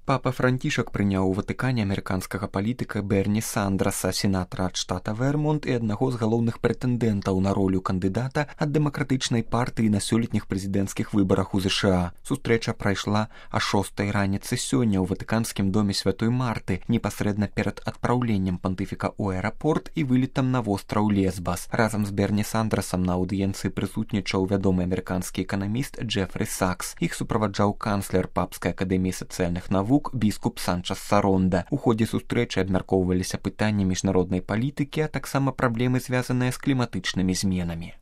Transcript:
Папа Францішак прыняў у Ватыкане амерыканскага палітыка Берні Сандраса, сенатара ад штата Вермонт і аднаго з галоўных прэтэндэнтаў на ролю кандыдата ад дэмакратычнай партыі на сёлетніх прэзідэнцкіх выбарах у ЗША. Сустрэча прайшла а 6 раніцы сёння ў ватыканскім доме Святой Марты, непасрэдна перад адпраўленнем пантыфіка ў аэрапорт і вылетам на востраў Лесбас. Разам з Берні Сандрасам на аўдыенцыі прысутнічаў вядомы амерыканскі эканаміст Джефрі Сакс. Іх суправаджаў канцлер Папскай акадэміі сацыяльных навук біскуп Санчас Саронда. У ходзе сустрэчы абмяркоўваліся пытанні міжнароднай палітыкі, а таксама праблемы, звязаныя з кліматычнымі зменамі.